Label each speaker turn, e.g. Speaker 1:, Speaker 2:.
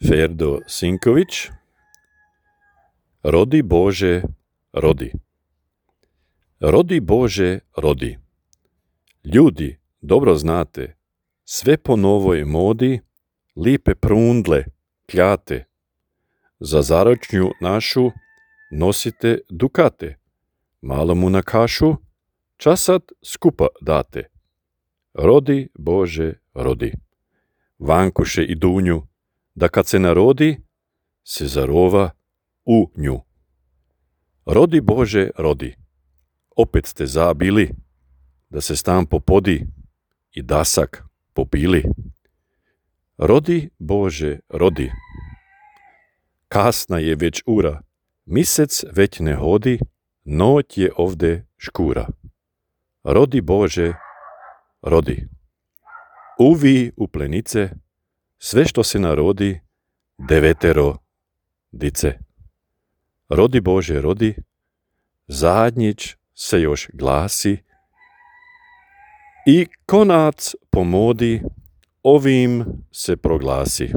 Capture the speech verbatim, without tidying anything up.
Speaker 1: Ferdo Sinković. Rodi Bože, rodi. Rodi Bože, rodi. Ljudi, dobro znate, sve po novoj modi, lipe prundle, kljate. Za zaročnju našu nosite dukate, malo mu na kašu, časat skupa date. Rodi Bože, rodi. Vankuše i Dunju, da kad se narodi, se zarova u nju. Rodi Bože, rodi. Opet ste zabili, da se stan popodi i dasak popili. Rodi Bože, rodi. Kasna je već ura, misec već ne hodi, noć je ovde škura. Rodi Bože, rodi. Uvi u plenice, sve što se narodi, devetero dice. Rodi Bože, rodi, zadnjić se još glasi i konac po modi ovim se proglasi.